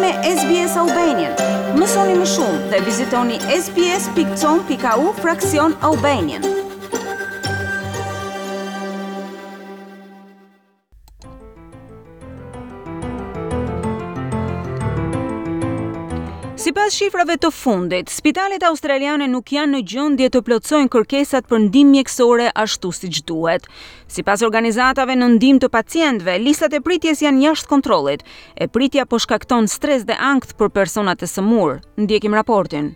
me SBS Albanian. Mësoni më shumë dhe vizitoni sbs.com.au fraksion Albanian. Sipas shifrave të fundit, spitalet australiane nuk janë në gjendje të plotësojnë kërkesat për ndihmë mjekësore ashtu siç duhet. Sipas organizatave në ndihmë të pacientëve, listat e pritjes janë jashtë kontrollit. E pritja po shkakton stres dhe ankth për personat e sëmurë. Ndjekim raportin.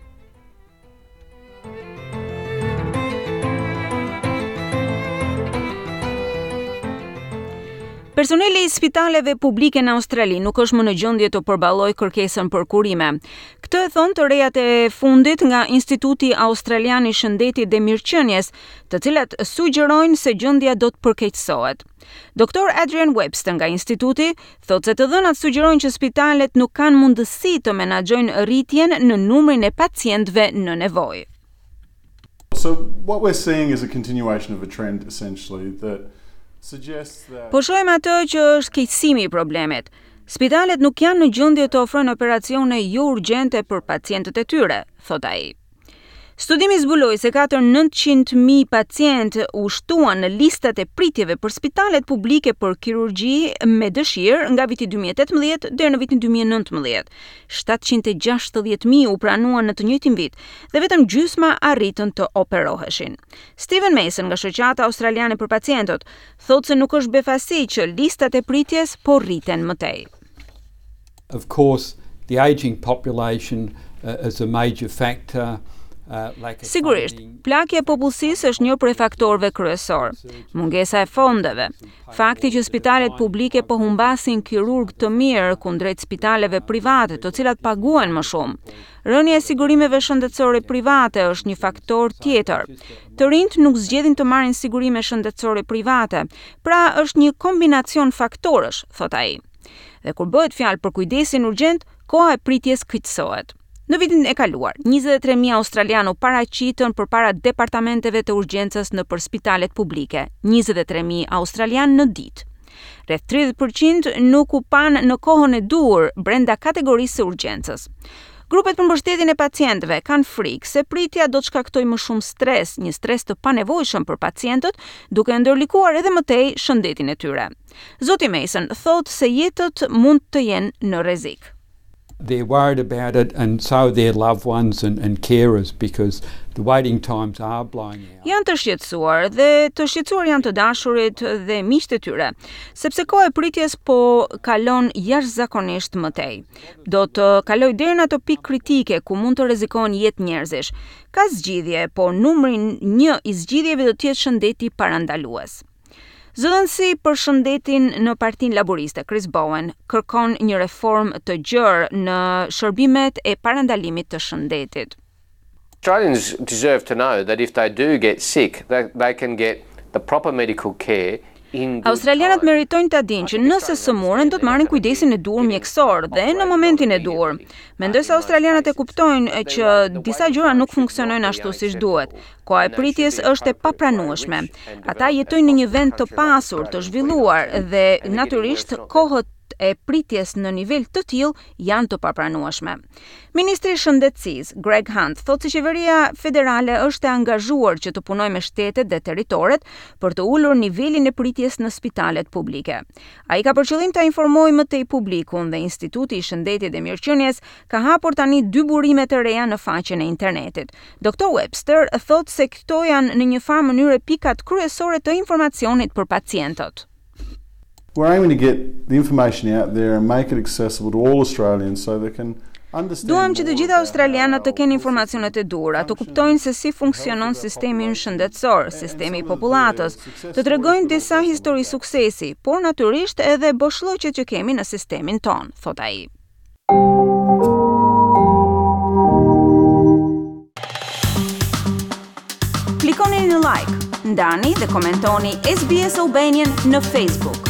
Personeli i spitaleve publike në Australi nuk është më në gjendje të përballojë kërkesën për kurime. Këtë e thonë të rejat e fundit nga Instituti Australian i Shëndetit dhe Mirëqenies, të cilat sugjerojnë se gjendja do të përkeqësohet. Doktor Adrian Webster nga instituti thotë se të dhënat sugjerojnë që spitalet nuk kanë mundësi të menaxhojnë rritjen në numrin e pacientëve në nevojë. So what we're seeing is a continuation of a trend essentially that suggests that Po shohim atë që është keqësimi i problemit. Spitalet nuk janë në gjendje të ofrojnë operacione jo urgjente për pacientët e tyre, thotë ai. Studimi zbuloi se 4 900.000 pacientë u shtuan në listat e pritjeve për spitalet publike për kirurgji me dëshirë nga viti 2018 deri në vitin 2019. 760.000 u pranuan në të njëjtin vit dhe vetëm gjysma arritën të operoheshin. Steven Mason nga Shoqata Australiane për Pacientët thotë se nuk është befasi që listat e pritjes po rriten më tej. Of course, the aging population uh, is a major factor. Uh, Sigurisht, plakja e popullsisë është një prej faktorëve kryesor. Mungesa e fondeve, fakti që spitalet publike po humbasin kirurg të mirë kundrejt spitaleve private, të cilat paguhen më shumë. Rënia e sigurimeve shëndetësore private është një faktor tjetër. Të rinjtë nuk zgjedhin të marrin sigurime shëndetësore private, pra është një kombinacion faktorësh, thot ai. Dhe kur bëhet fjalë për kujdesin urgjent, koha e pritjes qetësohet. Në vitin e kaluar, 23.000 australianë u paraqitën përpara departamenteve të urgjencës nëpër spitalet publike, 23.000 australianë në ditë. Rreth 30% nuk u panë në kohën e duhur brenda kategorisë së urgjencës. Grupet për mbështetjen e pacientëve kanë frikë se pritja do të shkaktojë më shumë stres, një stres të panevojshëm për pacientët, duke ndërlikuar edhe më tej shëndetin e tyre. Zoti Mason thotë se jetët mund të jenë në rrezik. They're worried about it and so their loved ones and, and carers because the waiting times are blowing out. Janë të shqetësuar dhe të shqetësuar janë të dashurit dhe miqtë e tyre, sepse koha e pritjes po kalon jashtëzakonisht më tej. Do të kaloj deri në atë pikë kritike ku mund të rrezikohen jetë njerëzish. Ka zgjidhje, por numri 1 i zgjidhjeve do të jetë shëndeti parandalues. Zëdhënësi për shëndetin në Partinë Laboriste, Chris Bowen, kërkon një reformë të gjerë në shërbimet e parandalimit të shëndetit. Australians deserve to know that if they do get sick, they, they can get the proper medical care Australianët meritojnë ta dinë që nëse sëmuren do të marrin kujdesin e duhur mjekësor dhe në momentin e duhur. Mendoj se australianët e kuptojnë që disa gjëra nuk funksionojnë ashtu siç duhet. Koha e pritjes është e papranueshme. Ata jetojnë në një vend të pasur, të zhvilluar dhe natyrisht kohët e pritjes në nivel të tillë janë të papranueshme. Ministri i Shëndetësisë, Greg Hunt, thotë se qeveria federale është e angazhuar që të punojë me shtetet dhe territoret për të ulur nivelin e pritjes në spitalet publike. Ai ka për qëllim ta informojë më tej publikun dhe Instituti i Shëndetit dhe Mirëqenies ka hapur tani dy burime të reja në faqen e internetit. Dr. Webster thotë se këto janë në një farë mënyre pikat kryesore të informacionit për pacientët. We're aiming to get the information out there and make it accessible to all Australians so they can Duam që të gjithë australianët të kenë informacionet e duhura, të kuptojnë se si funksionon sistemi ynë shëndetësor, sistemi i popullatës, të tregojnë disa histori suksesi, por natyrisht edhe boshllëqet që kemi në sistemin tonë, thot ai. Klikoni në like, ndani dhe komentoni SBS Albanian në Facebook.